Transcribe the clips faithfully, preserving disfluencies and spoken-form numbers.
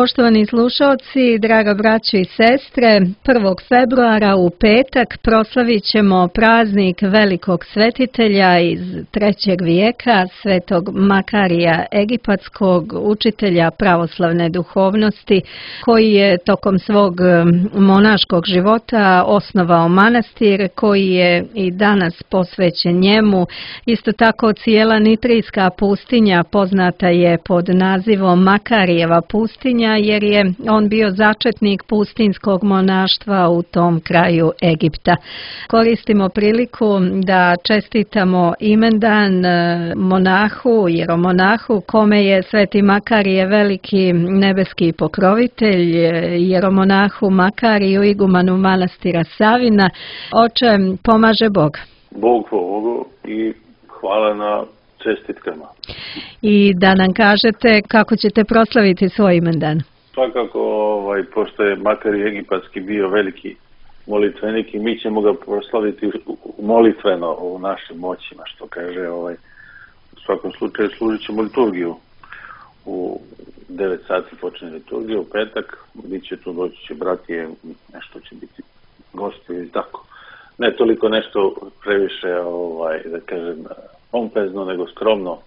Poštovani slušalci, draga braćo i sestre, prvog februara u petak proslavit ćemo praznik velikog svetitelja iz trećeg vijeka, svetog Makarija Egipatskog, učitelja pravoslavne duhovnosti, koji je tokom svog monaškog života osnovao manastir, koji je i danas posvećen njemu. Isto tako cijela Nitrijska pustinja poznata je pod nazivom Makarijeva pustinja, jer je on bio začetnik pustinskog monaštva u tom kraju Egipta. Koristimo priliku da čestitamo imendan monahu, jeromonahu, kome je sveti Makarije veliki nebeski pokrovitelj, jeromonahu Makariju, igumanu manastira Savina. Oče, pomaže Bog. Bog Bogu i hvala na čestitkama. I da nam kažete kako ćete proslaviti svoj imendan. Svakako, ovaj, pošto je Makarije Egipatski bio veliki molitvenik i mi ćemo ga proslaviti molitveno u našim moćima, što kaže, ovaj, u svakom slučaju služit ćemo liturgiju. U devet sati počne liturgija, u petak, bit će tu, doći će bratije, nešto će biti gosti i tako. Ne toliko nešto previše, ovaj, da kažem, pompezno, nego skromno,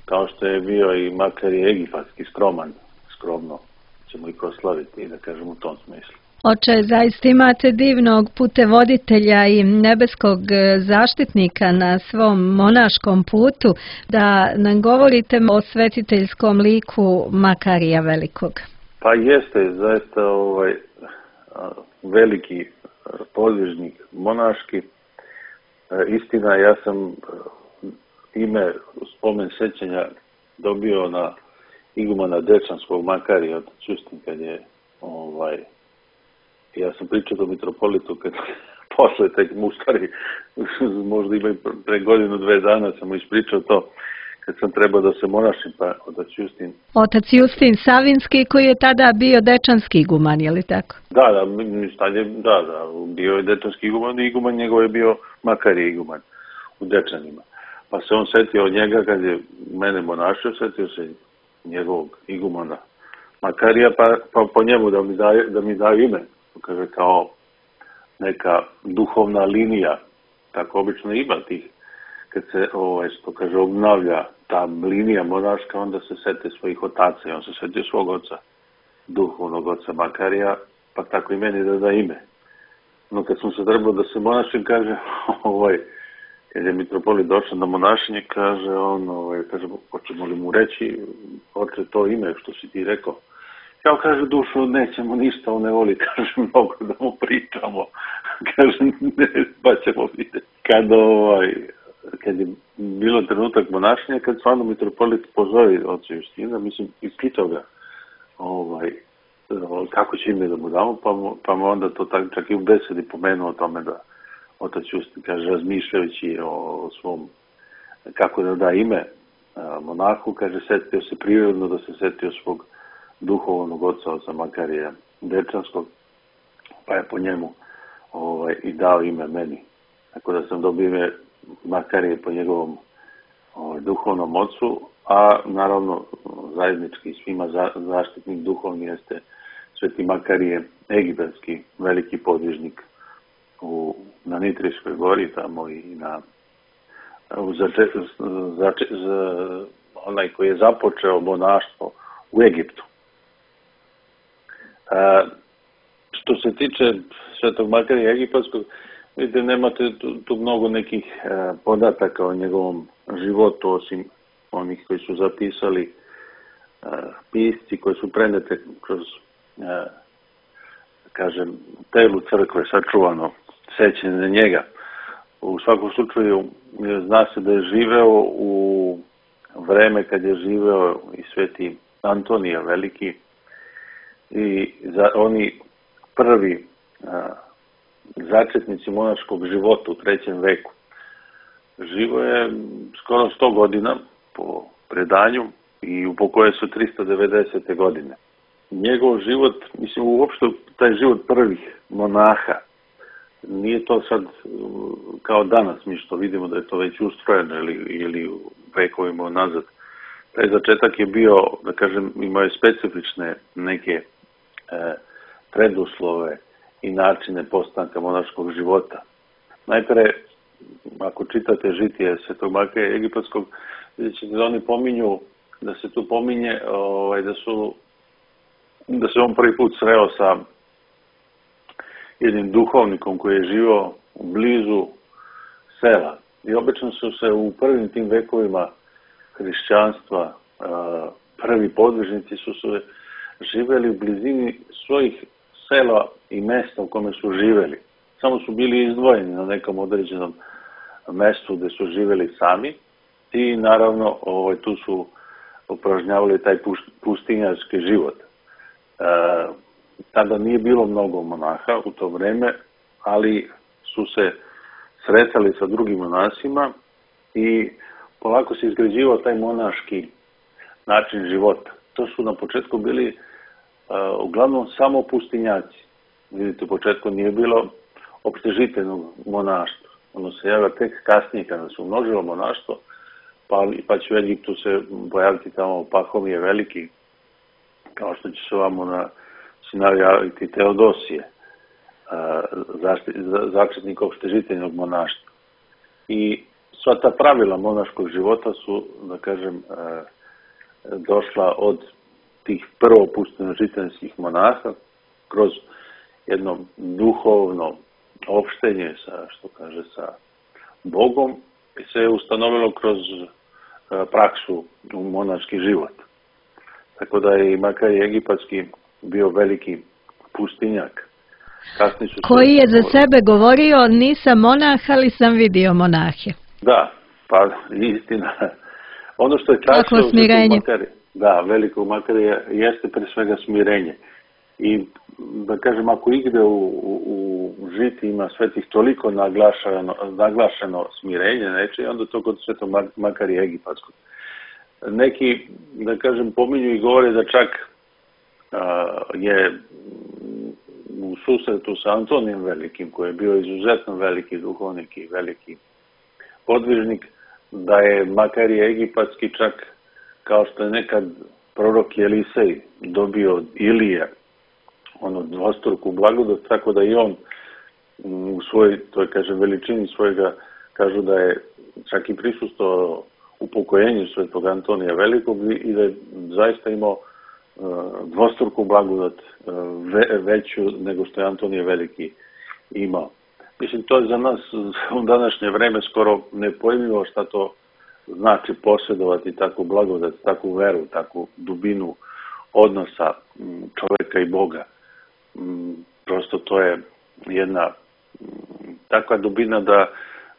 kao što je bio i Makarije Egipatski, skroman, skromno ćemo i proslaviti, da kažem, u tom smislu. Oče, zaista imate divnog putevoditelja i nebeskog zaštitnika na svom monaškom putu, da nam govorite o svetiteljskom liku Makarija Velikog. Pa jeste, zaista ovaj, veliki podvižnik monaški. Istina, ja sam ime spomen sećanja dobio na igumana Dečanskog Makarija od Ćustin, kad je ovaj, ja sam pričao do mitropolitu kad posle tek mu stari, možda ima pre godinu, dve dana sam mu ispričao to kad sam trebao da se monašim, pa otac Justin. Otac Justin Savinski, koji je tada bio Dečanski iguman, je li tako? Da, da, je, da, da, bio je Dečanski iguman i iguman njegov je bio Makarije iguman u Dečanima. Pa se on setio od njega kad je mene monašio, setio se njegovog igumana Makarija, pa, pa po njemu da mi daje, da mi daje ime. Kaže, kao neka duhovna linija, tako obično ima tih, kad se, ovaj, što kaže, obnavlja ta linija monaška, onda se sete svojih otaca i on se setio svog oca, duhovnog oca Makarija, pa tako i meni da da ime. No kad sam se trebao da se monašim, kaže, ovaj, kad je mitropolit došao na monašenje, kaže on, ovaj, kaže, hoćemo li mu reći, oče, to ime što si ti rekao. Kao kaže, dušo, nećemo ništa, on ne voli, kaže, mnogo da mu pričamo. Kaže, ne, pa ćemo vidjeti. Kad, ovaj, kad je bilo trenutak monašenja, kad stvarno mitropolit pozove oca Justina, mislim, i pitao ga, ovaj, kako će ime da mu damo, pa mu, pa mu onda to tak, čak i u besedi pomenuo o tome da otac Justin, kaže, razmišljajući o, o svom, kako da da ime a, monahu, kaže, setio se prirodno da se setio svog duhovnog oca, oca Makarija Dečanskog, pa je po njemu ovaj, i dao ime meni. Tako da sam dobio ime Makarije po njegovom ovaj, duhovnom ocu, a naravno zajednički svima za, zaštitnik duhovni jeste sveti Makarije Egipatski, veliki podvižnik u, na Nitrijskoj gori, tamo i na u zače, zače, za, onaj koji je započeo monaštvo u Egiptu. A, što se tiče svetog Makarija Egipatskog, vidite, nemate tu, tu mnogo nekih a, podataka o njegovom životu, osim onih koji su zapisali a, pisci, koji su prenete kroz, a, kažem, telu crkve, sačuvano sećanje na njega. U svakom slučaju, zna se da je živeo u vreme kad je živeo i sveti Antonija Veliki, i za, oni prvi a, začetnici monaškog života u trećem veku. Živo je skoro sto godina po predanju i upokojio se tristo devedesete godine. Njegov život, mislim, uopšte taj život prvih monaha, nije to sad kao danas, mi što vidimo da je to već ustrojeno ili, ili vekovima nazad, taj začetak je bio, da kažem, imao je specifične neke e, preduslove i načine postanka monaškog života. Najpre, ako čitate žitije Svetog Makarija Egipatskog, vidjet ćete da oni pominju, da se tu pominje ovaj, da su da se on prvi put sreo sa jednim duhovnikom koji je živio blizu sela. I obično su se u prvim tim vekovima hrišćanstva prvi podvižnici su se živeli u blizini svojih sela i mesta u kome su živeli. Samo su bili izdvojeni na nekom određenom mestu gde su živeli sami i naravno ovaj, tu su upražnjavali taj pustinjarski život. E, tada nije bilo mnogo monaha u to vreme, ali su se sretali sa drugim monasima i polako se izgrađivao taj monaški način života. To su na početku bili uh, uglavnom samo pustinjaci. Vidite, u početku nije bilo opštežiteljnog monaštva. Ono se javlja tek kasnije kada se umnožilo monaštvo, pa, pa će u Egiptu se pojaviti tamo Pahomije veliki, kao što će se ovamo na sinavljaviti Teodosije, uh, začetnik opštežiteljnog monaštva. I sva ta pravila monaškog života su, da kažem, uh, došla od tih prvo pustinjožiteljskih monaha kroz jedno duhovno opštenje sa, što kaže, sa Bogom i se je ustanovilo kroz praksu u monaški život. Tako da je i Makarije Egipatski bio veliki pustinjak. Koji je za sebe govorio, nisam monah, ali sam vidio monahe. Da, pa istina. Ono što je tačno u Makarije, da, velikog Makarija jeste pre svega smirenje. I da kažem, ako igde u, u, u žiti ima svetih toliko naglašeno, naglašeno smirenje, neče, onda to kod Svetog Makarija Egipatskog. Neki, da kažem, pominju i govore da čak a, je u susretu sa Antonijem Velikim, koji je bio izuzetno veliki duhovnik i veliki podvižnik, da je Makarije Egipatski čak, kao što je nekad prorok Elisej dobio od Ilije ono dvostruku blagodat, tako da i on u svojoj, to je, kažem, veličini svojega, kažu da je čak i prisustvovao upokojenju Svetog Antonija Velikog i da je zaista imao dvostruku blagodat veću nego što je Antonije Veliki imao. Mislim, to je za nas u današnje vreme skoro nepojmljivo šta to znači posjedovati takvu blagodat, takvu veru, takvu dubinu odnosa čoveka i Boga. Prosto to je jedna takva dubina da,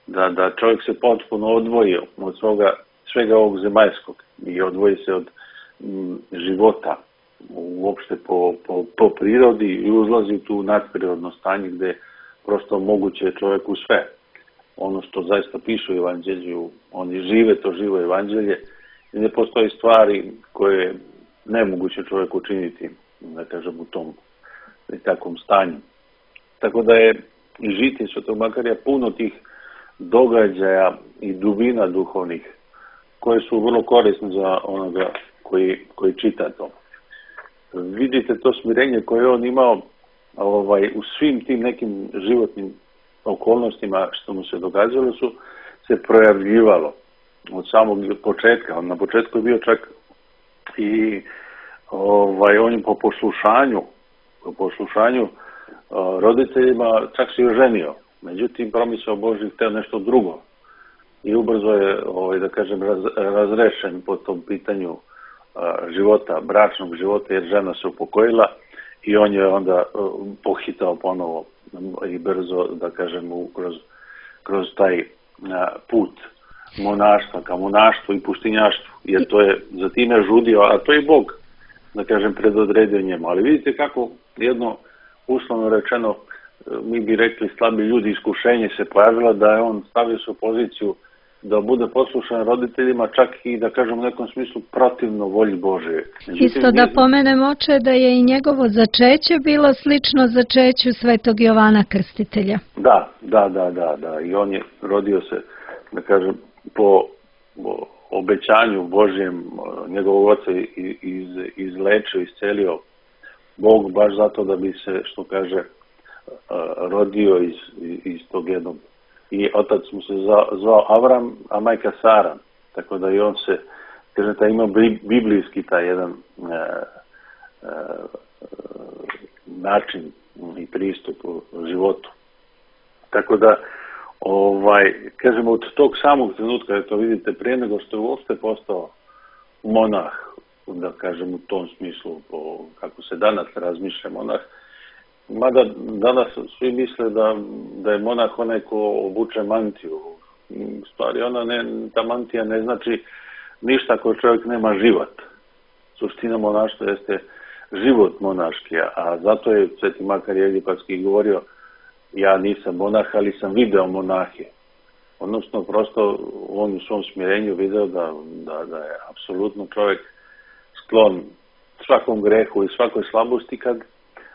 da, da čovjek se potpuno odvoji od svoga, svega ovog zemaljskog i odvoji se od m, života uopšte po, po, po prirodi i uzlazi tu nadprirodno stanje gde prosto moguće čovjeku sve. Ono što zaista piše u Evanđelju, oni žive to živo Evanđelje i ne postoji stvari koje je nemoguće čovjeku učiniti, da kažem, u tom i takvom stanju. Tako da je i žitije Svetog Makarija puno tih događaja i dubina duhovnih koje su vrlo korisne za onoga koji, koji čita to. Vidite to smirenje koje on imao ovaj, u svim tim nekim životnim okolnostima što mu se događalo su se projavljivalo od samog početka. On na početku je bio čak i ovaj, on je po poslušanju po poslušanju roditeljima čak se i oženio. Međutim, promisao Božji hteo nešto drugo. I ubrzo je, ovaj, da kažem, raz, razrešen po tom pitanju života, bračnog života, jer žena se upokojila i on je onda pohitao ponovo i brzo, da kažem, kroz, kroz taj put monaštva, ka monaštvu i pustinjaštvu, jer to je za time žudio, a to je Bog, da kažem, predodredio njemu. Ali vidite kako jedno, uslovno rečeno, mi bi rekli slabi ljudi, iskušenje se pojavilo da je on stavio se u poziciju da bude poslušan roditeljima, čak i, da kažem, u nekom smislu protivno volji Božje. Međutim, isto da pomenem, oče, da je i njegovo začeće bilo slično začeću Svetog Jovana Krstitelja. Da, da, da, da, da. I on je rodio se, da kažem, po, po obećanju Božjem njegovog oca iz, izlečio, iscelio Bog baš zato da bi se, što kaže, rodio iz, iz tog jednog. I otac mu se zvao Avram, a majka Sara. Tako da i on se, kaže, taj ima biblijski taj jedan e, e, način i pristup u životu. Tako da, ovaj, kažemo, od tog samog trenutka, to vidite, prije nego što je uopšte postao monah, da kažem u tom smislu, po, kako se danas razmišlja monah, mada danas svi misle da, da je monah onaj ko obuče mantiju. U stvari, ona ne, ta mantija ne znači ništa ako čovjek nema život. Suština monaštva jeste život monaški, a zato je Sveti Makarije Egipatski govorio: ja nisam monah, ali sam video monahe. Odnosno, prosto on u svom smirenju video da, da, da je apsolutno čovjek sklon svakom grehu i svakoj slabosti kad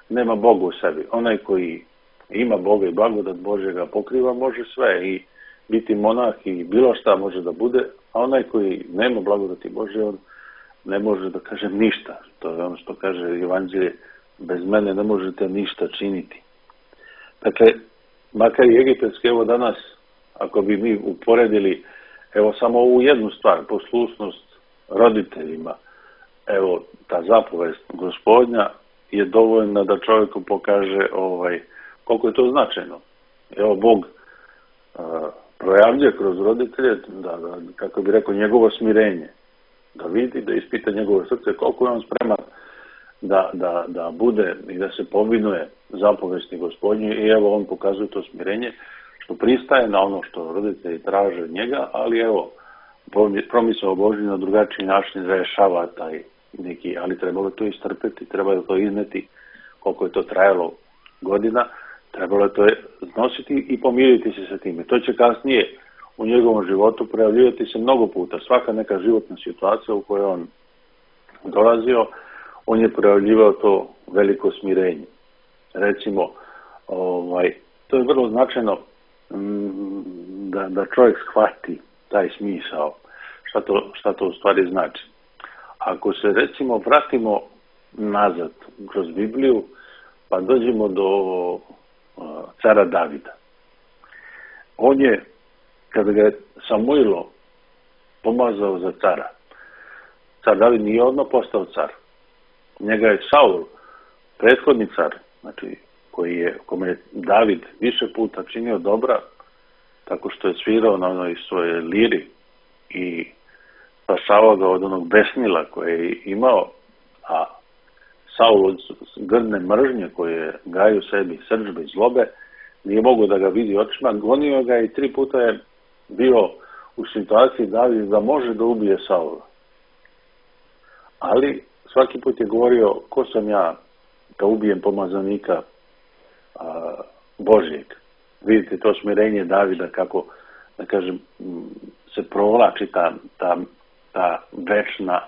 nema Boga u sebi. Onaj koji ima Boga i blagodat Božjega pokriva može sve i biti monah i bilo šta može da bude, a onaj koji nema blagodati Božje, on ne može da kaže ništa. To je ono što kaže Evanđelje: bez mene ne možete ništa činiti. Dakle, makar i egipatski, evo danas, ako bi mi uporedili, evo samo ovu jednu stvar, poslušnost roditeljima, evo, ta zapovest Gospodnja je dovoljna da čovjeku pokaže ovaj, koliko je to značajno. Evo, Bog a, projavljuje kroz roditelje, da, da, kako bi rekao, njegovo smirenje, da vidi, da ispita njegovo srce, koliko je on spreman da, da, da bude i da se povinuje zapovesti Gospodnje, i evo on pokazuje to smirenje, što pristaje na ono što roditelji traže od njega, ali evo, promisao Božji na drugačiji način rešava taj neki, ali trebalo to istrpeti, trebalo to izneti, koliko je to trajalo godina, trebalo je to nositi i pomiriti se sa time. To će kasnije u njegovom životu projavljivati se mnogo puta. Svaka neka životna situacija u kojoj on dolazio, on je projavljivao to veliko smirenje. Recimo, ovaj, to je vrlo značajno da, da čovjek shvati taj smisao, šta to, šta to u stvari znači. Ako se, recimo, vratimo nazad kroz Bibliju, pa dođemo do uh, cara Davida. On je, kada ga je Samuilo pomazao za cara, car David nije odmah postao car. Njega je Saul, prethodni car, znači, koji je, kome je David više puta činio dobra, tako što je svirao na onoj svoje liri i spašavao ga od onog besnila koje je imao, a Saul od grdne mržnje koje gaje u sebi, srdžbe i zlobe, nije mogo da ga vidi očima, gonio ga i tri puta je bio u situaciji David da može da ubije Saula. Ali svaki put je govorio: ko sam ja da ubijem pomazanika a, Božjeg. Vidite to smirenje Davida, kako, da kažem, se provlači ta, ta, ta večna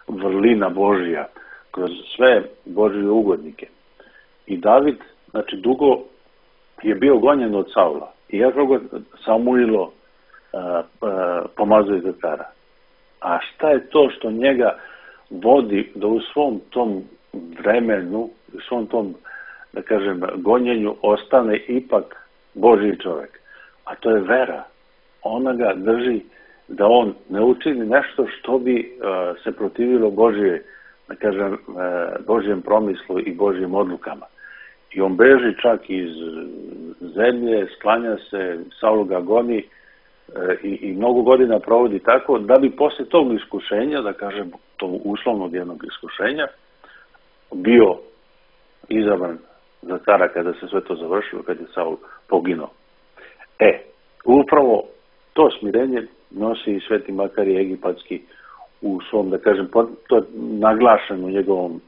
vrlina Božja kroz sve Božje ugodnike. I David, znači, dugo je bio gonjen od Saula. I jako ga Samuilo a, a, pomazuje za cara. A šta je to što njega vodi da u svom tom vremenu, u svom tom, da kažem, gonjenju ostane ipak Božji čovjek? A to je vera. Ona ga drži da on ne učini nešto što bi uh, se protivilo Božje, da kažem, uh, Božjem promislu i Božjim odlukama. I on beži čak iz zemlje, sklanja se, Saul ga goni uh, i, i mnogo godina provodi tako, da bi posle tog iskušenja, da kažem, tog uslovnog jednog iskušenja, bio izabran za cara kada se sve to završilo, kada je Saul poginuo. E, upravo to smirenje nosi i Sveti Makarije Egipatski u svom, da kažem, to je naglašeno u njegovom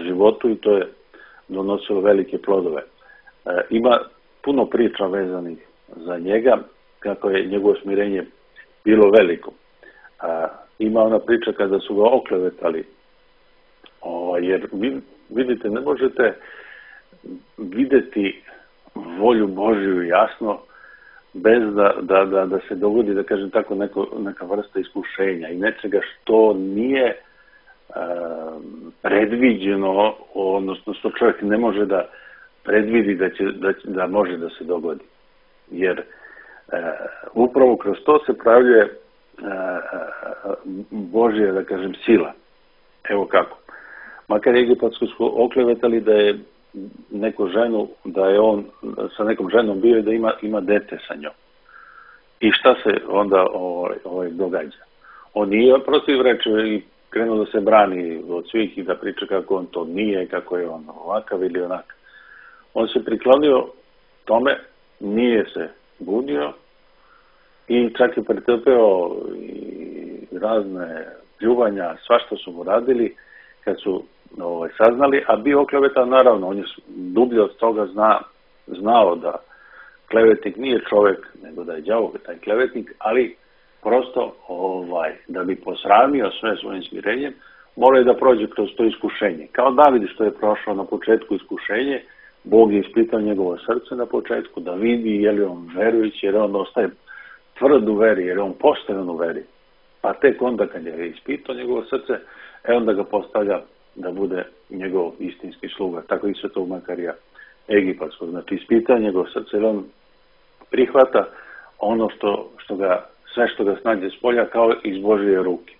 životu i to je donosilo velike plodove. E, ima puno priča vezanih za njega, kako je njegovo smirenje bilo veliko. A, ima ona priča kada su ga oklevetali, o, jer vidite, ne možete vidjeti volju Božju jasno bez da, da, da, da se dogodi, da kažem tako, neko, neka vrsta iskušenja i nečega što nije uh, predviđeno, odnosno što čovjek ne može da predvidi da, će, da, da može da se dogodi. Jer uh, upravo kroz to se pravljuje uh, Božja, da kažem, sila. Evo kako. Makar Egipatsko su oklevetali da je neku ženu, da je on sa nekom ženom bio i da ima, ima dete sa njom. I šta se onda ovaj, ovaj, događa? On nije protiv reče i krenuo da se brani od svih i da priča kako on to nije, kako je on ovakav ili onak. On se priklonio tome, nije se bunio i čak je pretrpeo i razne pljuvanja, svašta su mu radili kad su ovaj, saznali, a bio oklevetan, naravno, on je dublje od toga zna, znao da klevetnik nije čovjek, nego da je đavo taj klevetnik, ali prosto ovaj, da bi posramio sve svojim smirenjem, mora je da prođe kroz to iskušenje. Kao David što je prošao na početku iskušenje, Bog je ispitao njegovo srce na početku, da vidi je li on verujući, jer on ostaje tvrd u veri, jer on postojan u veri. Pa tek onda kad je ispitao njegovo srce, e onda ga postavlja da bude njegov istinski sluga. Tako i svetog Makarija Egipatskog. Znači ispita njegov srce, jer on prihvata ono što, što ga, sve što ga snađe s polja kao iz Božje ruke.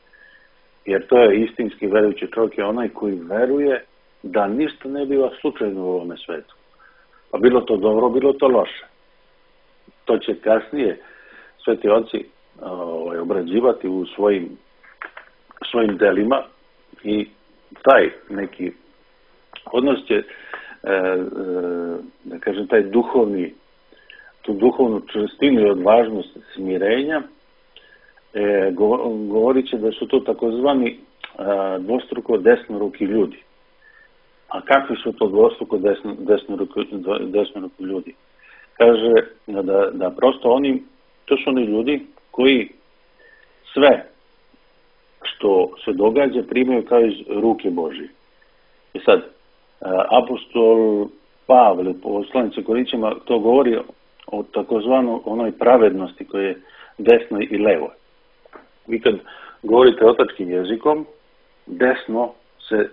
Jer to je istinski verujući čovjek, je onaj koji veruje da ništa ne biva slučajno u ovome svetu. Pa bilo to dobro, bilo to loše. To će kasnije sveti oci ovaj, obrađivati u svojim, svojim delima i taj neki odnos će, e, e, da kažem, taj duhovni, tu duhovnu čvrstinu i odvažnost smirenja, e, govorit će da su to takozvani e, dvostruko desnoruki ljudi. A kakvi su to dvostruko desno, desnoruki, desnoruki ljudi? Kaže da, da prosto oni, to su oni ljudi koji sve što se događa primaju kao iz ruke Božije. I sad, apostol Pavle, poslanici Korinćima, to govori o takozvanoj onoj pravednosti koje je desno i levo. Vi kad govorite otačkim jezikom, desno se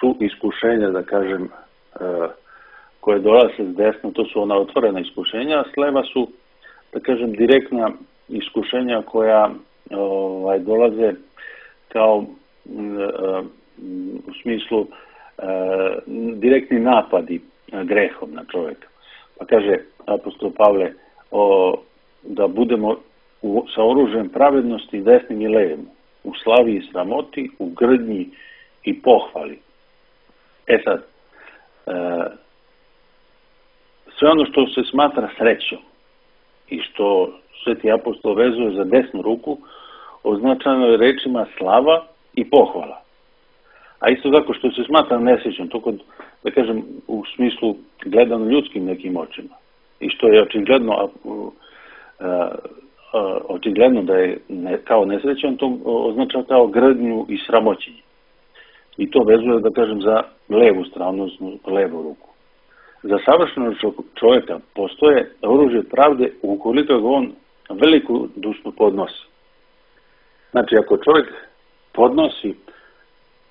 su iskušenja, da kažem, koje dolaze s desno, to su ona otvorena iskušenja, a s leva su, da kažem, direktna iskušenja koja ovaj, dolaze kao u smislu direktni napadi grehom na čovjeka. Pa kaže apostol Pavle o, da budemo u, sa oružjem pravednosti desnim i levim, u slavi i sramoti, u grdnji i pohvali. E sad, e, sve ono što se smatra srećom i što sveti apostol vezuje za desnu ruku, označeno je rečima slava i pohvala. A isto tako što se smatra nesrećom, to kod, da kažem, u smislu gledano ljudskim nekim očima. I što je očigledno, a, a, a, očigledno da je ne, kao nesrećan, to označava kao grdnju i sramoćenje. I to vezuje, da kažem, za levu stranu, odnosno levu ruku. Za savršenog čovjeka postoje oružje pravde ukoliko ga on veliku dušnu podnosi. Znači, ako čovjek podnosi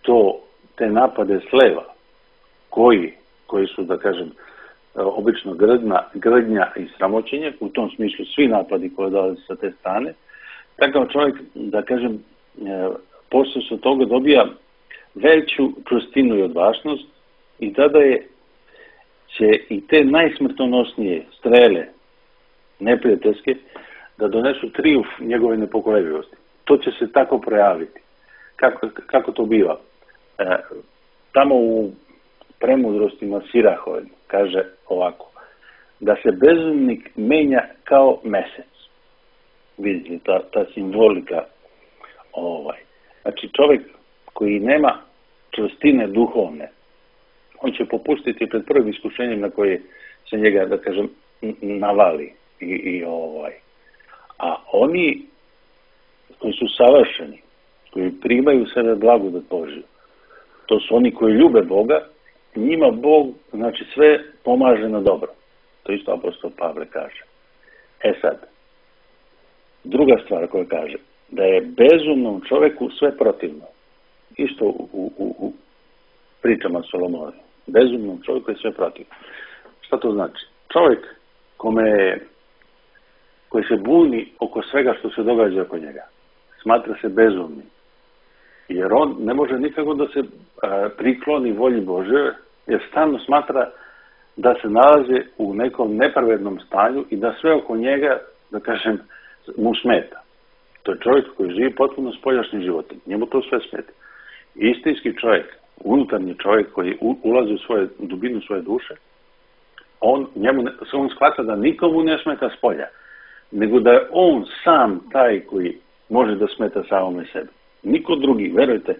to, te napade s leva, koji, koji su, da kažem, obično grdna, grdnja i sramoćenje, u tom smislu svi napadi koji dolaze sa te strane, takav čovjek, da kažem, posle se toga dobija veću čvrstinu i odvažnost i tada je, će i te najsmrtonosnije strele neprijateljske da donesu trijumf njegove nepokolebljivosti. To će se tako projaviti. Kako, kako to biva? E, tamo u premudrostima Sirahove kaže ovako, da se bezumnik menja kao mesec. Vidite, ta, ta simbolika. Ovaj. Znači, čovjek koji nema čvrstine duhovne, on će popustiti pred prvim iskušenjem na koje se njega, da kažem, navali. I, i ovaj. A oni koji su savršeni, koji primaju sebe blagodat Božju, to su oni koji ljube Boga, njima Bog, znači, sve pomaže na dobro. To isto apostol Pavle kaže. E sad, druga stvar koja kaže, da je bezumnom čovjeku sve protivno. Isto u, u, u pričama Solomona. Bezumnom čovjeku je sve protivno. Šta to znači? Čovjek kome, koji se buni oko svega što se događa oko njega, smatra se bezumnim. Jer on ne može nikako da se a, prikloni volji Božje, jer stalno smatra da se nalazi u nekom nepravednom stanju i da sve oko njega, da kažem, mu smeta. To je čovjek koji živi potpuno spoljašnjim životom. Njemu to sve smeta. Istinski čovjek, unutarnji čovjek koji ulazi u svoje, dubinu svoje duše, on, njemu, on shvata da nikomu ne smeta spolja, nego da je on sam taj koji može da smeta samome sebi. Niko drugi, verujte,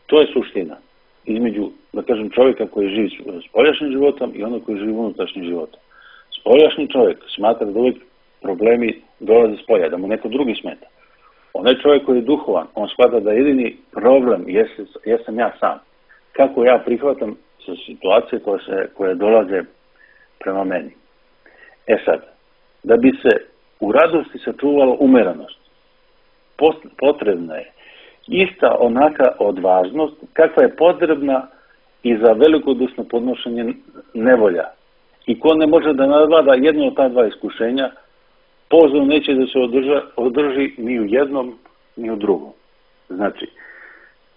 to je suština između, da kažem, čovjeka koji živi spoljašnjim životom i onog koji živi unutrašnjim životom. Spoljašnji čovjek smatra da uvijek problemi dolaze s polja, da mu neko drugi smeta. Onaj čovjek koji je duhovan, on shvata da jedini problem jesam, jesam ja sam. Kako ja prihvatam sa situacije koje, se, koje dolaze prema meni. E sad, da bi se u radosti sačuvalo umeranost, potrebna je ista onaka odvažnost kakva je potrebna i za velikodušno podnošenje nevolja. I ko ne može da nadvlada jedno od ta dva iskušenja, pozor neće da se održa, održi ni u jednom, ni u drugom. Znači,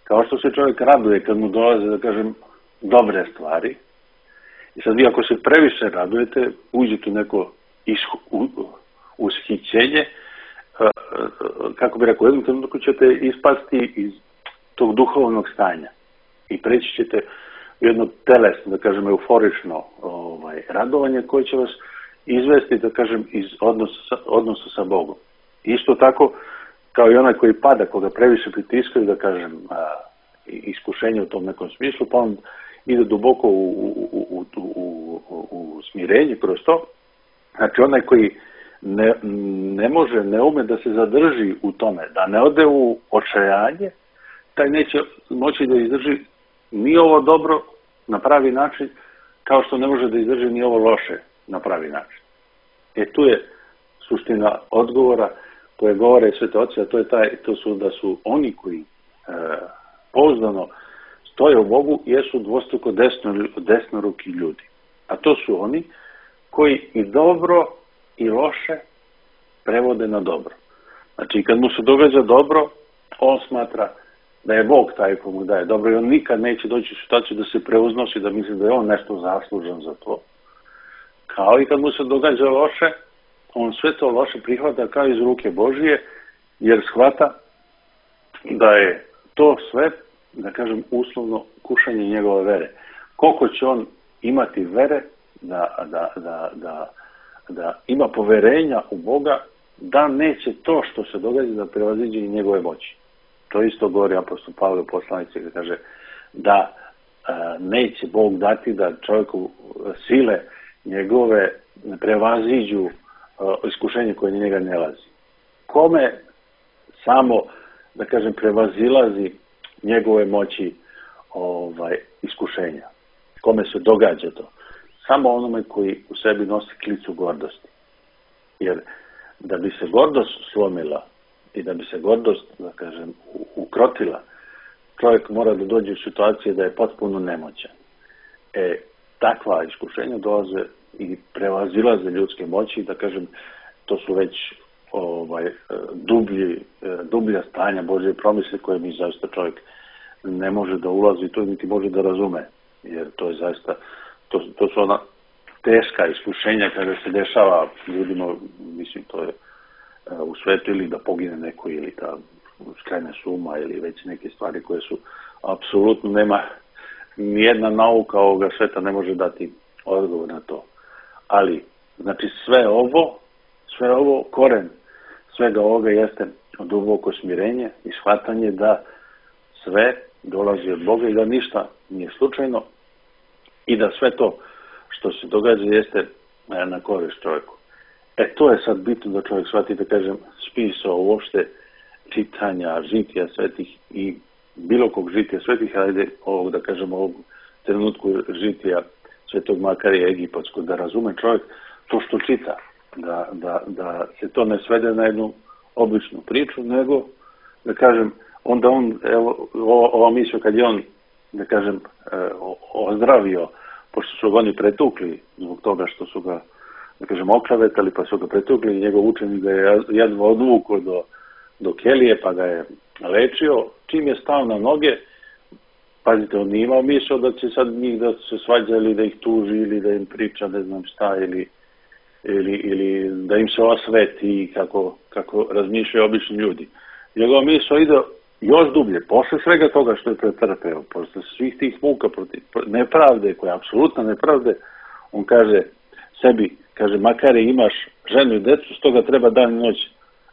kao što se čovjek raduje kad mu dolaze, da kažem, dobre stvari, i sad vi ako se previše radujete, uđete u neko ishu, u, ushićenje, kako bi rekao, jednom trenutku ćete ispasti iz tog duhovnog stanja i preći ćete u jedno telesno, da kažem, euforično ovaj, radovanje koje će vas izvesti, da kažem, iz odnosa, odnosa sa Bogom. Isto tako, kao i onaj koji pada, koga previše pritiskaju, da kažem, a, iskušenje u tom nekom smislu, pa on ide duboko u, u, u, u, u, u smirenje kroz to. Znači, onaj koji ne, ne može, ne ume da se zadrži u tome, da ne ode u očajanje, taj neće moći da izdrži ni ovo dobro na pravi način, kao što ne može da izdrži ni ovo loše na pravi način. E tu je suština odgovora koje govore Svete Oci, a to je taj, to su da su oni koji e, pouzdano stoje u Bogu, jesu dvostruko desno, desnoruki ljudi. A to su oni koji i dobro i loše prevode na dobro. Znači, kad mu se događa dobro, on smatra da je Bog taj ko mu daje dobro i on nikad neće doći u situaciju da se preuznosi, da misli da je on nešto zaslužan za to. Kao i kad mu se događa loše, on sve to loše prihvata kao iz ruke Božije, jer shvata da je to sve, da kažem, uslovno kušanje njegove vere. Koliko će on imati vere da, da, da, da, da ima poverenja u Boga, da neće to što se događa da prevaziđe i njegove moći. To isto govori apostol Pavle u poslanici, kada kaže da a, neće Bog dati da čovjeku sile njegove prevaziđu a, iskušenje koje njega ne lazi. Kome samo, da kažem, prevazilazi njegove moći ovaj, iskušenja? Kome se događa to? Samo onome koji u sebi nosi klicu gordosti. Jer da bi se gordost slomila i da bi se gordost, da kažem, ukrotila, čovjek mora da dođe u situacije da je potpuno nemoćan. E, takva iskušenja dolaze i prevazilaze ljudske moći, da kažem, to su već ovaj, dublji, dublja stanja Božje promisle koje mi zaista čovjek ne može da ulazi, to niti može da razume, jer to je zaista, to, to su ona teška iskušenja kada se dešava ljudima, mislim, to je u svetu ili da pogine neko ili da skrene suma ili već neke stvari koje su apsolutno nema, nijedna nauka ovoga sveta ne može dati odgovor na to. Ali, znači sve ovo, sve ovo, koren svega ovoga jeste duboko smirenje i shvatanje da sve dolazi od Boga i da ništa nije slučajno i da sve to što se događa jeste na korist čovjeku. E to je sad bitno da čovjek shvati, da kažem, spisao uopšte čitanja žitija svetih i bilo kog žitija svetih, ajde ovog, da kažem, ovog trenutku žitija svetog Makarija Egipatskog, da razume čovjek to što čita. da, da, da se to ne svede na jednu običnu priču, nego, da kažem, onda on, evo, ova misao kad je on, da kažem, ozdravio, pošto su ga oni pretukli zbog toga što su ga, da kažem, oklevetali, pa su ga pretukli i njegov učenik ga je jedno odvukao do, do kelije, pa ga je lečio. Čim je stao na noge, pazite, on nije imao misao da će sad njih da se svađa ili da ih tuži ili da im priča ne znam šta ili, ili, ili da im se osveti kako, kako razmišljaju obični ljudi. Njegova misao ide još dublje, posle svega toga što je pretrpeo, posle svih tih muka protiv nepravde, koja je apsolutna nepravde, on kaže sebi, kaže, makar imaš ženu i decu, stoga treba dan i noć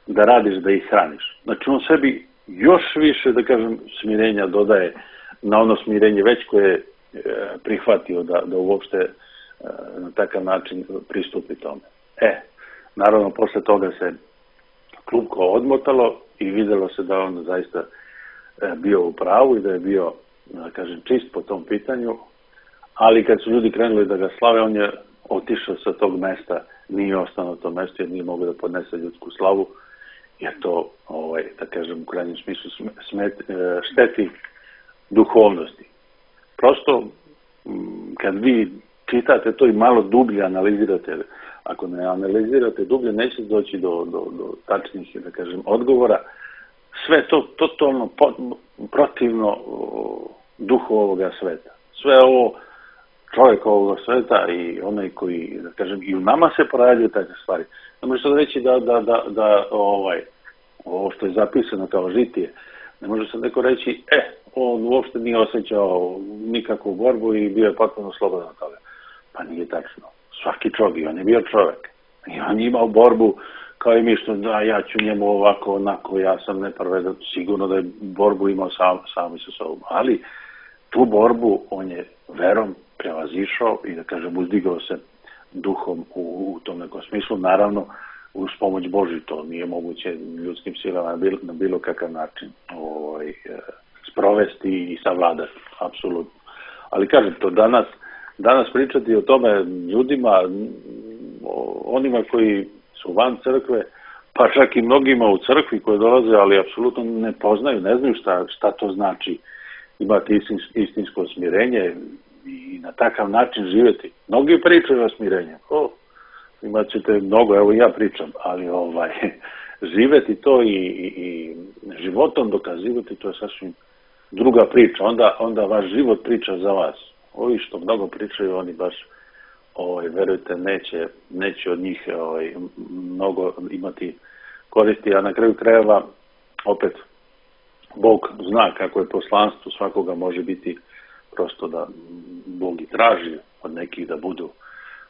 da radiš, da ih hraniš. Znači on sebi još više, da kažem, smirenja dodaje na ono smirenje već koje je prihvatio da, da uopšte na takav način pristupi tome. E, naravno, posle toga se klupko odmotalo i videlo se da on zaista bio u pravu i da je bio, da kažem, čist po tom pitanju, ali kad su ljudi krenuli da ga slave, on je otišao sa tog mesta, nije ostao na tom mestu jer nije mogao da podnese ljudsku slavu, jer to, ovaj, da kažem, u krajnjem smislu smet, šteti duhovnosti. Prosto, kad vi čitate to i malo dublje analizirate, ako ne analizirate dublje, neće doći do, do, do tačnih, da kažem, odgovora. Sve to totalno protivno duhu ovoga sveta. Sve ovo čovjek ovoga sveta i onaj koji, da kažem, i u nama se porađaju takve stvari. Ne može se reći da, da, da, da ovaj, ovo što je zapisano kao žitije, ne može se neko reći, e, on uopšte nije osjećao nikakvu borbu i bio je potpuno slobodan od toga. Pa nije tačno. Svaki čovjek, on je bio čovjek. I on je imao borbu kao i mi što da ja ću njemu ovako, onako, ja sam nepravedan, sigurno da je borbu imao sam, sami sa sobom. Ali tu borbu on je verom prevazišao i, da kažem, uzdigao se duhom u, u tom nekom smislu. Naravno, uz pomoć Božju, to nije moguće ljudskim silama na bilo, na bilo kakav način ovaj, sprovesti i savladati, apsolutno. Ali kažem, to danas, danas pričati o tome ljudima, onima koji su van crkve, pa čak i mnogima u crkvi koji dolaze, ali apsolutno ne poznaju, ne znaju šta, šta to znači imati istinsko smirenje i na takav način živjeti. Mnogi pričaju o smirenju. O, imat ćete mnogo, evo ja pričam, ali ovaj, živjeti to i, i, i životom dokazivati, to je sasvim druga priča. Onda, onda vaš život priča za vas. Ovi što mnogo pričaju, oni baš, ovaj, verujte, neće, neće od njih ovaj, mnogo imati koristi, a na kraju krajeva opet Bog zna kako je poslanstvo svakoga može biti prosto da Bog i traži od nekih da budu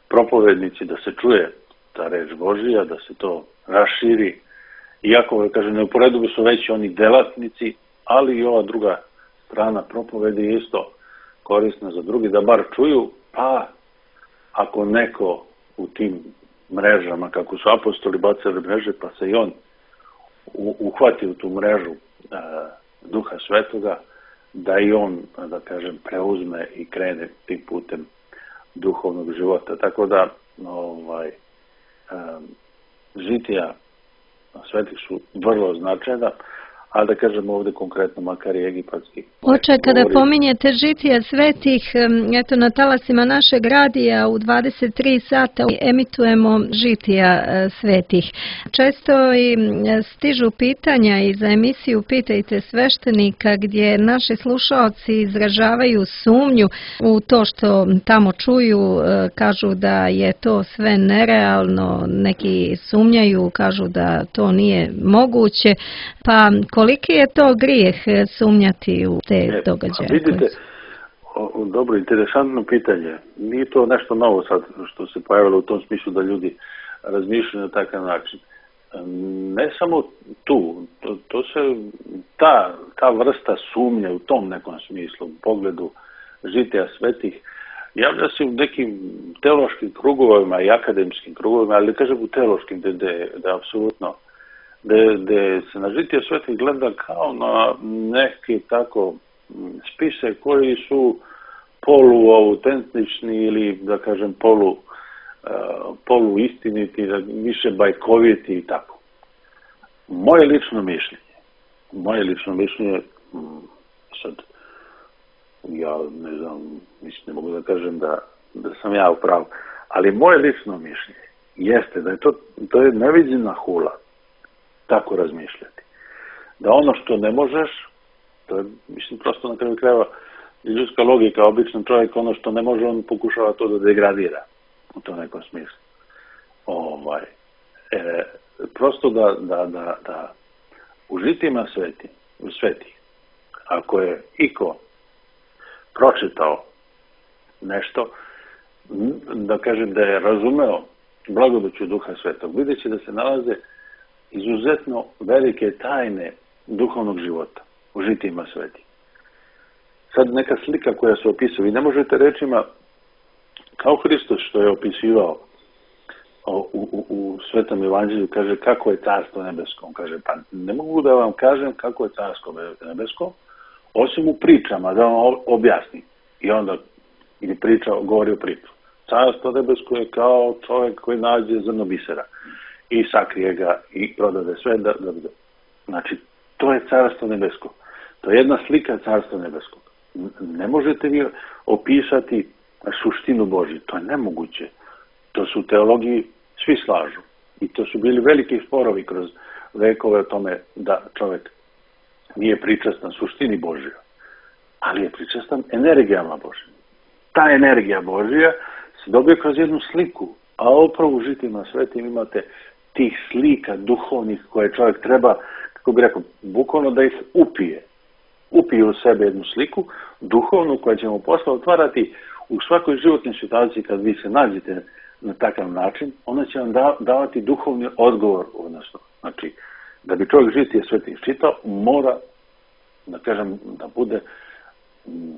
propovednici, da se čuje ta reč Božija, da se to raširi. Iako, kažem, neuporedivo su veći oni delatnici, ali i ova druga strana propovedi je isto korisna za drugi, da bar čuju, pa ako neko u tim mrežama, kako su apostoli bacali mreže, pa se i on uhvati u tu mrežu a, Duha Svetoga, da i on, da kažem, preuzme i krene tim putem duhovnog života. Tako da, ovaj, a, žitija svetih su vrlo značajna, a da kažem ovdje konkretno makar i egipatski. Oče, kada pominjete žitija svetih, eto na talasima našeg radija u dvadeset tri sata emitujemo žitija svetih. Često i stižu pitanja i za emisiju Pitajte sveštenika gdje naši slušaoci izražavaju sumnju u to što tamo čuju, kažu da je to sve nerealno, neki sumnjaju, kažu da to nije moguće, pa koliki je to grijeh sumnjati u te događaje? Vidite, o, dobro, interesantno pitanje. Nije to nešto novo sad što se pojavilo u tom smislu da ljudi razmišljaju na takav način. Ne samo tu, to, to se, ta, ta vrsta sumnje u tom nekom smislu, u pogledu žitija svetih, javlja se u nekim teološkim krugovima i akademskim krugovima, ali kažem u teološkim, da je apsolutno gde se na žitije svetih gleda kao na neke tako spise koji su poluautentični ili, da kažem, polu poluistiniti, više bajkoviti i tako. Moje lično mišljenje, moje lično mišljenje, sad, ja ne znam, mislim, ne mogu da kažem da, da sam ja u pravu, ali moje lično mišljenje jeste da je to, to je neviđena hula tako razmišljati. Da ono što ne možeš, to je, mislim, prosto na kraju krajeva ljudska logika, običan čovjek, ono što ne može, on pokušava to da degradira u tom nekom smislu. Ovaj, e, prosto da, da, da, da u žitima sveti, u sveti, ako je iko pročitao nešto, da kažem da je razumeo blagodaću Duha Svetog, vidjet će da se nalaze izuzetno velike tajne duhovnog života u žitima sveti. Sad neka slika koja se opisuje, vi ne možete rečima kao Hristos što je opisivao u, u, u Svetom Evanđelju, kaže kako je carstvo nebesko. On kaže, pa ne mogu da vam kažem kako je carstvo nebesko, osim u pričama, da vam objasnim. I onda ili priča, govori o priču. Carstvo nebesko je kao čovjek koji nađe zrno bisera i sakrije ga i prodade sve. Da, da, da. Znači, to je carstvo nebesko. To je jedna slika carstva nebeskog. Ne možete vi opisati suštinu Božju. To je nemoguće. To su teologiji, svi slažu. I to su bili veliki sporovi kroz vekove o tome da čovjek nije pričastan suštini Božja, ali je pričastan energijama Božjim. Ta energija Božja se dobije kroz jednu sliku, a upravo u žitima svetim imate tih slika duhovnih koje čovjek treba, kako bi rekao, bukvalno da ih upije. Upije u sebe jednu sliku, duhovnu, koja će mu posle otvarati u svakoj životnoj situaciji kad vi se nađete na takav način, ona će vam da, davati duhovni odgovor, odnosno, znači, da bi čovjek žitije sveti iščitao, mora, da kažem, da bude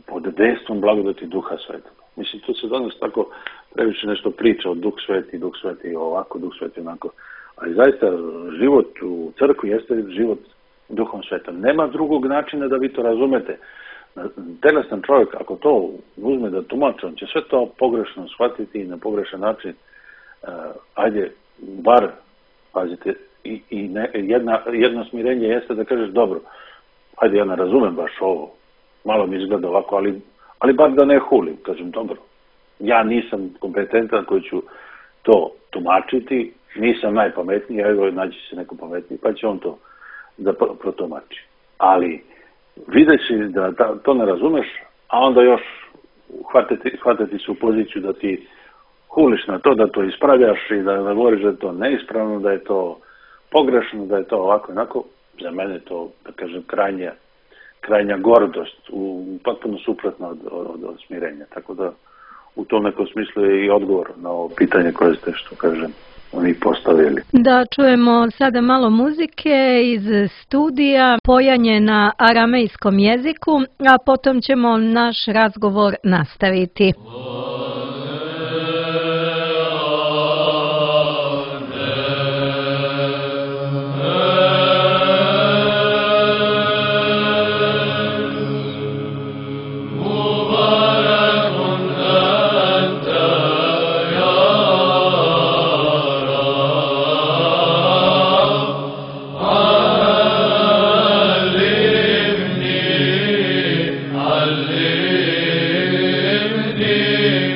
pod dejstvom blagodati Duha Svetog. Mislim, tu se danas tako previše nešto priča o Duh Sveti, Duh Sveti ovako, Duh Sveti onako, ali zaista život u crkvi jeste život Duhom Svetom. Nema drugog načina da vi to razumete. Telestan čovjek, ako to uzme da tumači, on će sve to pogrešno shvatiti i na pogrešan način. Uh, ajde, bar, pazite, i, i ne, jedna, jedno smirenje jeste da kažeš, dobro, ajde, ja ne razumem baš ovo, malo mi izgleda ovako, ali, ali bar da ne hulim, kažem, dobro, ja nisam kompetentan koji ću to tumačiti, nisam najpametniji, evo naći se neko pametniji, pa će on to da protumači. Ali videći da ta, to ne razumeš, a onda još hvatiti, hvatiti se u poziciju da ti huliš na to, da to ispravljaš i da, da govoriš da je to neispravno, da je to pogrešno, da je to ovako i onako, za mene to, da kažem, krajnja, krajnja gordost, u, potpuno suprotno od, od, od smirenja. Tako da u tom nekom smislu je i odgovor na ovo pitanje koje ste, što kažem, oni postavili. Da čujemo sada malo muzike iz studija, pojanje na aramejskom jeziku, a potom ćemo naš razgovor nastaviti. علمني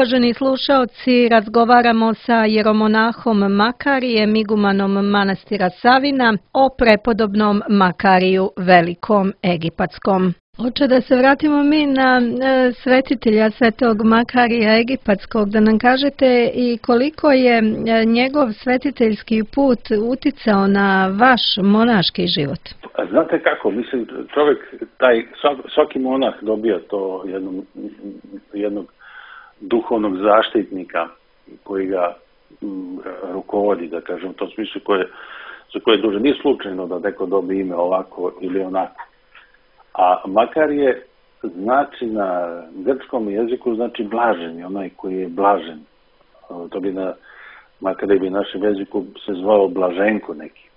Uvaženi slušaoci, razgovaramo sa jeromonahom Makarijem, igumanom manastira Savina, o prepodobnom Makariju Velikom Egipatskom. Oče, da se vratimo mi na e, svetitelja svetog Makarija Egipatskog, da nam kažete i koliko je e, njegov svetiteljski put uticao na vaš monaški život. Znate kako, mislim, čovjek, taj, svaki monah dobija to jednog, jednog duhovnog zaštitnika koji ga m, rukovodi, da kažem, u tom smislu koje, za koje je duže. Nije slučajno da neko dobije ime ovako ili onako. A Makarije znači na grčkom jeziku znači blaženi, onaj koji je blažen. To bi na Makarije bi našem jeziku se zvao Blaženko neki.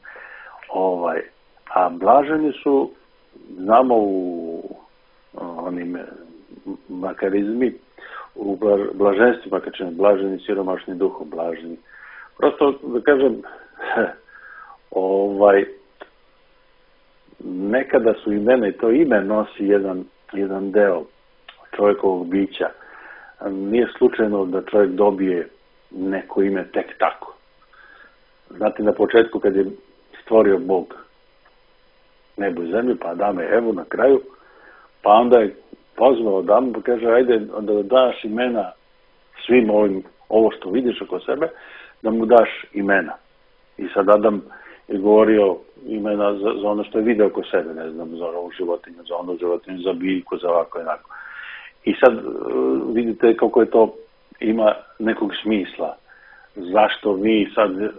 Ovaj, a blaženi su, znamo u onim makarizmi, u blaženstvima, kad ćemo blaženi, siromašni duhom, blaženi. Prosto, da kažem, ovaj, nekada su imena i to ime nosi jedan, jedan deo čovjekovog bića. Nije slučajno da čovjek dobije neko ime tek tako. Znate, na početku kad je stvorio Bog nebo i zemlju, pa Adama i Evu na kraju, pa onda je pozvao Adamu pa kaže, ajde da daš imena svim ovim, ovo što vidiš oko sebe, da mu daš imena. I sad Adam je govorio imena za, za ono što je video oko sebe, ne znam, za ovu životinju, za onu životinju, za biljku, za ovako i onako. I sad uh, vidite kako je to ima nekog smisla. Zašto mi sad, uh,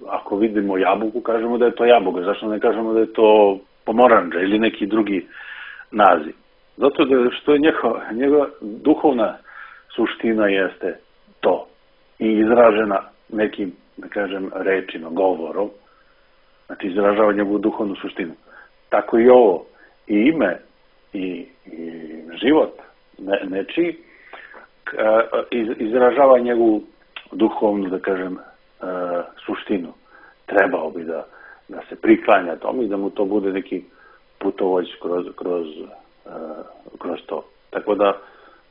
ako vidimo jabuku, kažemo da je to jabuka, zašto ne kažemo da je to pomoranđa ili neki drugi naziv? Zato da što je njegova, njegova duhovna suština jeste to i izražena nekim, da kažem, rečima, govorom, znači izražava njegovu duhovnu suštinu. Tako i ovo, i ime, i, i život ne, nečiji, izražava njegovu duhovnu, da kažem, suštinu. Trebao bi da, da se priklanja tomu i da mu to bude neki putovođ kroz, kroz, kroz to. Tako da,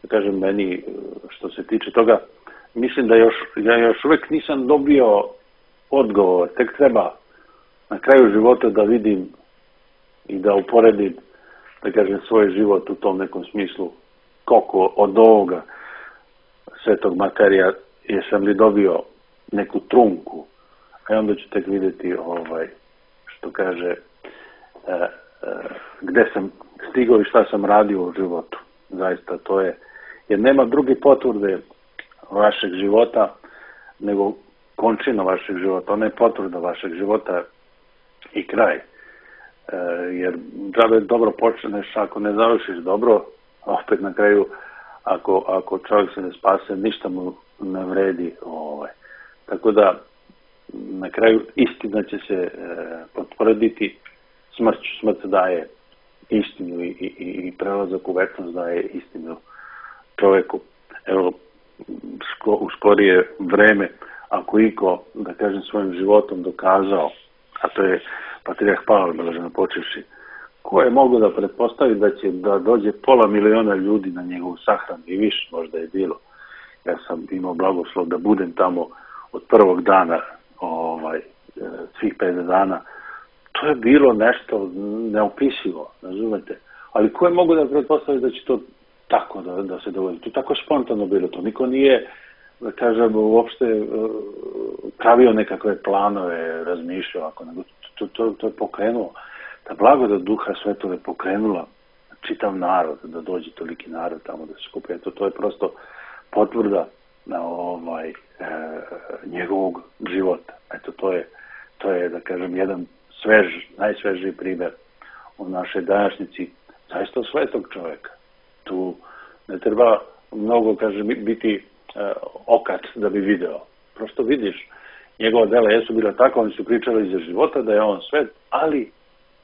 da kažem, meni, što se tiče toga, mislim da još, ja još uvijek nisam dobio odgovor, tek treba na kraju života da vidim i da uporedim, da kažem, svoj život u tom nekom smislu, koliko od ovoga svetog Makarija jesam li dobio neku trunku, a onda ću tek vidjeti ovaj, što kaže, e, e, gde sam stigao i šta sam radio u životu. Zaista to je, jer nema druge potvrde vašeg života nego končina vašeg života. Ona je potvrda vašeg života i kraj. E, jer džabe dobro počneš, ako ne završiš dobro, opet na kraju, ako, ako čovjek se ne spase, ništa mu ne vredi. Ovaj. Tako da, na kraju istina će se e, potvrditi smrću. Smrt daje istinu i, i, i prelazak u večnost daje istinu čovjeku. Evo, sko, u skorije vreme, ako iko, da kažem, svojim životom dokazao, a to je Patrijarh Pavle, blaženo počevši, ko je mogao da pretpostavi da će da dođe pola miliona ljudi na njegovu sahranu i više možda je bilo. Ja sam imao blagoslov da budem tamo od prvog dana, ovaj, svih pet dana. To je bilo nešto neopisivo, razumete? Ali ko je mogao da pretpostavi da će to tako da, da se dogodi? To je tako spontano bilo. To niko nije, da kažem, uopšte pravio nekakve planove, razmišljao, ako nego to, to, to je pokrenulo. Ta blagodat Duha Svetog je pokrenula čitav narod, da dođe toliki narod tamo da se skupi. Eto, to je prosto potvrda na ovaj, e, njegovog života. Eto, to je, to je, da kažem, jedan svež, najsvežiji primjer u našoj današnjici, zaista svetog čovjeka. Tu ne treba mnogo, kažem, biti e, okac da bi video. Prosto vidiš, njegova dela jesu bila tako, oni su pričali za života, da je on svet, ali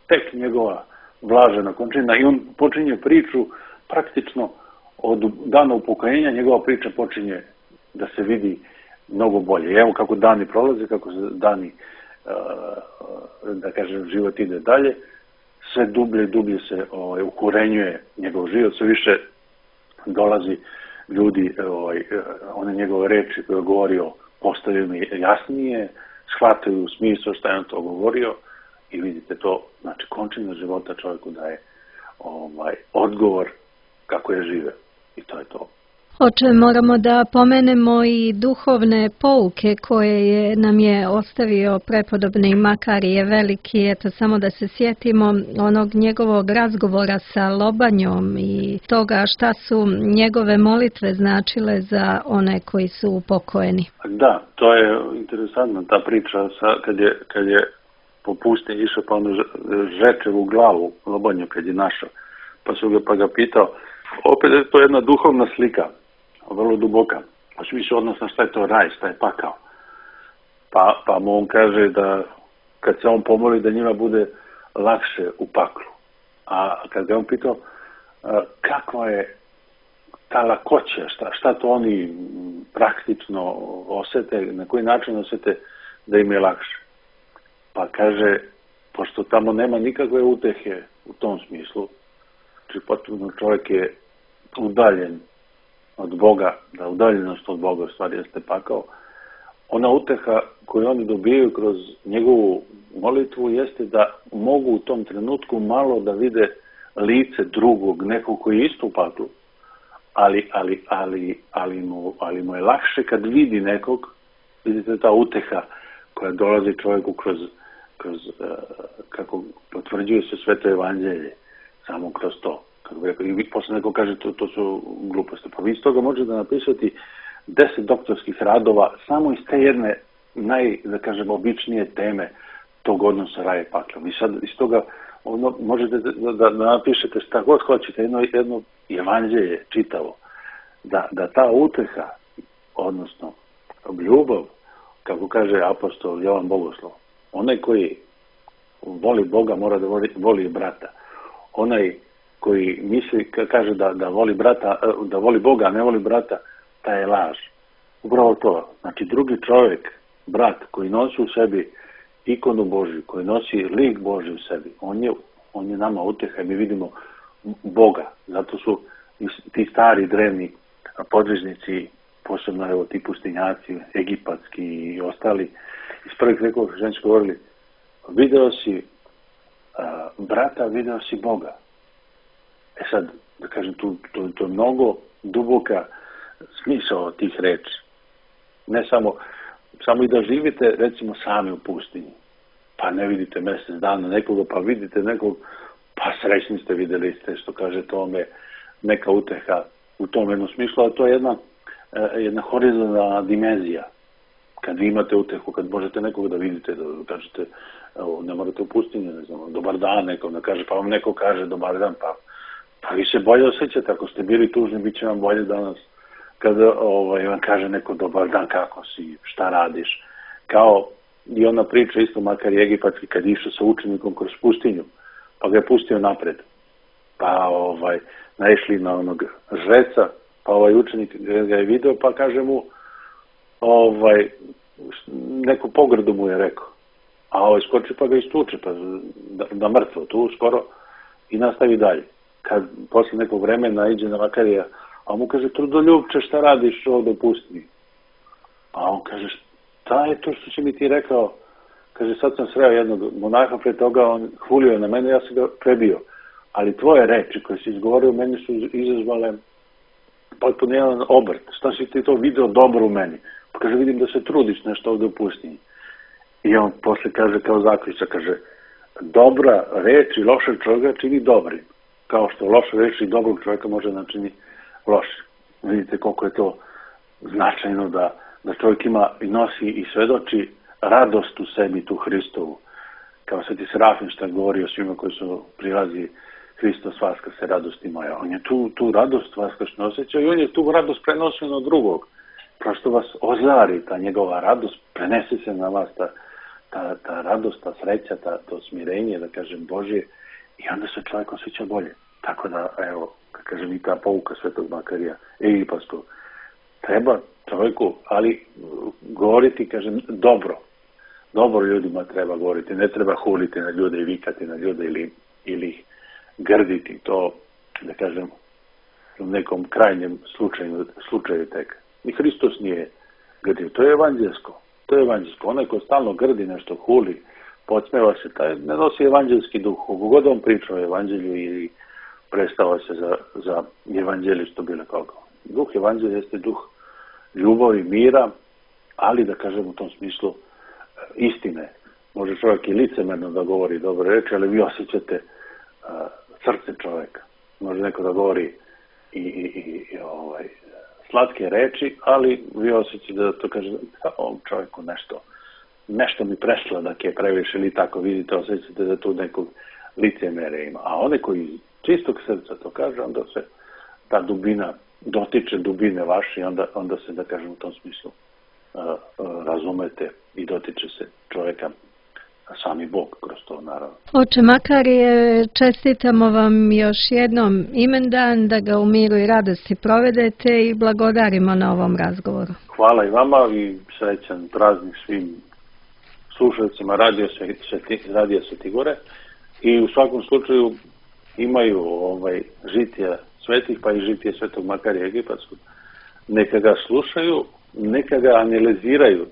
tek njegova blažena končina i on počinje priču praktično od dana upokojenja, njegova priča počinje da se vidi mnogo bolje. Evo kako dani prolaze, kako se dani, da kažem, život ide dalje, sve dublje i dublje se ovaj, ukorenjuje njegov život, sve više dolazi ljudi, ovaj, one njegove reči koje je govorio postaju mi jasnije, shvataju smisao šta je on to govorio i vidite to, znači končina života čovjeku daje ovaj, odgovor kako je žive i to je to. Oče, moramo da pomenemo i duhovne pouke koje je, nam je ostavio prepodobni Makarije Veliki. Eto, samo da se sjetimo onog njegovog razgovora sa Lobanjom i toga šta su njegove molitve značile za one koji su upokojeni. Da, to je interesantna ta priča sa, kad, je, kad je po pustinji išao pa ono Žečevu glavu Lobanju kad je našao. Pa su ga, pa ga pitao, opet je to jedna duhovna slika, vrlo duboka. Pa su više odnosno šta je to raj, šta je pakao. Pa, pa mu on kaže da kad se on pomoli da njima bude lakše u paklu. A kad ga on pitao kakva je ta lakoća, šta, šta to oni praktično osete, na koji način osete da im je lakše. Pa kaže, pošto tamo nema nikakve utehe u tom smislu, znači potpuno čovjek je udaljen od Boga, da udaljenost od Boga u stvari jeste pakao, ona uteha koju oni dobijaju kroz njegovu molitvu jeste da mogu u tom trenutku malo da vide lice drugog, nekog koji je isto u paklu, ali, ali, ali, ali, mu, ali mu je lakše kad vidi nekog, vidite ta uteha koja dolazi čovjeku kroz, kroz uh, kako potvrđuje se Sveto evanđelje, samo kroz to. I posle neko kaže to, to su gluposti. Pa vi iz toga možete napisati deset doktorskih radova samo iz te jedne naj, da kažem, običnije teme tog odnosa raja i pakla. Vi sad iz toga ono, možete da, da, da napišete šta god hoćete, jedno, jedno evanđelje čitavo, da, da ta uteha, odnosno ljubav, kako kaže apostol Jovan Bogoslov, onaj koji voli Boga mora da voli, voli brata. Onaj koji misli, kaže da, da voli brata, da voli Boga, a ne voli brata, ta je laž. Upravo to. Znači, drugi čovjek, brat, koji nosi u sebi ikonu Božju, koji nosi lik Božji u sebi, on je, on je nama uteha i mi vidimo Boga. Zato su ti stari, drevni podvižnici, posebno evo, ti pustinjaci, egipatski i ostali, iz prvih vekova hrišćanski govorili, video si a, brata, video si Boga. E sad, da kažem, tu, to, to je mnogo duboka smisao tih reči. Ne samo, samo i da živite, recimo, sami u pustinji. Pa ne vidite mjesec dana nekoga, pa vidite nekog, pa srećni ste, vidjeli ste, što kaže tome, neka uteha u tom jednom smislu, a to je jedna, jedna horizontalna dimenzija. Kad vi imate utehu, kad možete nekog da vidite, da kažete, evo, ne morate u pustinju, ne znam, dobar dan nekom da kaže, pa vam neko kaže dobar dan, pa Pa vi se bolje osjećate, ako ste bili tužni, bit će vam bolje danas kada ovaj, vam kaže neko dobar dan, kako si, šta radiš. Kao i ona priča isto Makarije Egipatski kad je išao sa učenikom kroz pustinju, pa ga je pustio napred. Pa ovaj, naišli na onog žreca, pa ovaj učenik ga je video, pa kaže mu, ovaj, neku pogrdu mu je rekao. A ovaj skoči pa ga istuče, pa da, da mrtvo tu skoro i nastavi dalje. Kad posle nekog vremena iđe na Makarija, a on mu kaže, trudoljubče, šta radiš ovdje u pustinji? A on kaže, šta je to što si mi ti rekao? Kaže, sad sam sreo jednog monaha pre toga, on hulio na mene, ja sam ga prebio. Ali tvoje reči koje si izgovorio, meni su izazvale potpuno jedan obrt. Šta si ti to video dobro u meni? Pa kaže, vidim da se trudiš nešto ovdje u pustinji. I on posle kaže, kao zaključak, kaže, dobra reč i loša čovjeka čini dobrim. Kao što loše reči dobrog čovjeka može načini loše. Vidite koliko je to značajno da, da čovjek ima i nosi i svedoči radost u sebi, tu Hristovu. Kao Sveti Serafim što govori o svima koji su prilazi Hristos vaska se radosti moja. On je tu, tu radost vaskašno osjećao i on je tu radost prenosio na drugog. Prosto vas ozari ta njegova radost, prenese se na vas ta, ta, ta radost, ta sreća, ta, to smirenje, da kažem, Božje. I onda se čovjek osjeća bolje. Tako da, evo, kad kažem i ta pouka Svetog Makarija Egipatskog, treba čovjeku, ali govoriti, kažem, dobro. Dobro ljudima treba govoriti. Ne treba huliti na ljude i vikati na ljude ili, ili ih grditi. To, da kažem, u nekom krajnjem slučaju, slučaju tek. I Hristos nije grdio. To je evanđelsko. To je evanđelsko. Onaj ko stalno grdi nešto, huli, podsmeva se, taj ne nosi evanđelski duh. Kogod on priča o evanđelju ili predstava se za, za evanđelistu bilo koga. Duh evanđelja jeste duh ljubavi, mira, ali da kažem u tom smislu istine. Može čovjek i licemerno da govori dobre reči, ali vi osjećate uh, srce čovjeka. Može neko da govori i, i, i ovaj, slatke reči, ali vi osjećate da to kaže ovom čovjeku nešto, nešto mi presladak je previše ili tako, vidite, osjećate da tu nekog licemere ima. A one koji čistog srca to kaže, onda se ta dubina dotiče dubine vaše i onda, onda se, da kažem, u tom smislu uh, uh, razumete i dotiče se čovjeka sami Bog kroz to, naravno. Oče Makarije, čestitamo vam još jednom imendan, da ga u miru i radosti provedete i blagodarimo na ovom razgovoru. Hvala i vama i srećan praznik svim slušalcima Radio Sveti, Radio Svetigore i u svakom slučaju imaju ovaj, žitija svetih, pa i žitije Svetog Makarija Egipatskog. Neka ga slušaju, neka ga analiziraju,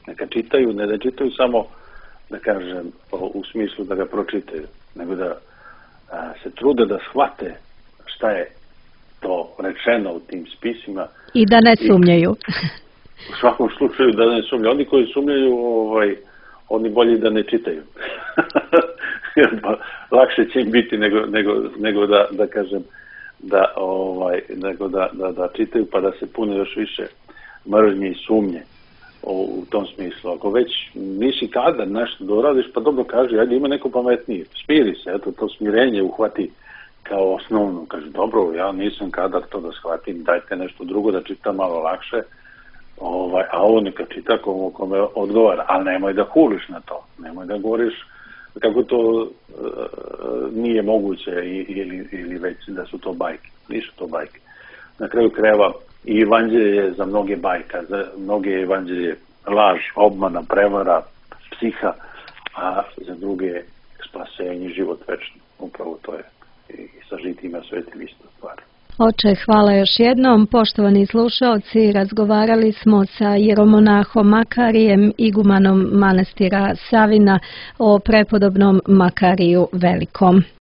neka čitaju, ne da čitaju samo, da kažem, u smislu da ga pročitaju, nego da a, se trude da shvate šta je to rečeno u tim spisima. I da ne sumnjaju. U svakom slučaju da ne sumnjaju. Oni koji sumnjaju, ovaj, oni bolje da ne čitaju. Lakše će im biti nego, nego, nego da, da kažem, da, ovaj, nego da, da, da čitaju pa da se pune još više mržnje i sumnje u tom smislu. Ako već nisi kadar nešto da uradiš, pa dobro kaže, ajde ima neko pametniji, smiri se, eto to smirenje uhvati kao osnovno. Kaže, dobro, ja nisam kadar to da shvatim, dajte nešto drugo da čitam malo lakše, ovaj, a ovo neka čita komu kome odgovara, ali nemoj da huliš na to, nemoj da govoriš kako to e, nije moguće ili, ili već da su to bajke. Nisu to bajke. Na kraju krajeva i evanđelje je za mnoge bajka, za mnoge evanđelje laž, obmana, prevara, psiha, a za druge spasenje, život večni. Upravo to je i sa žitima svetim isto stvar. Oče, hvala još jednom. Poštovani slušaoci, razgovarali smo sa jeromonahom Makarijem, igumanom manastira Savina, o prepodobnom Makariju Velikom.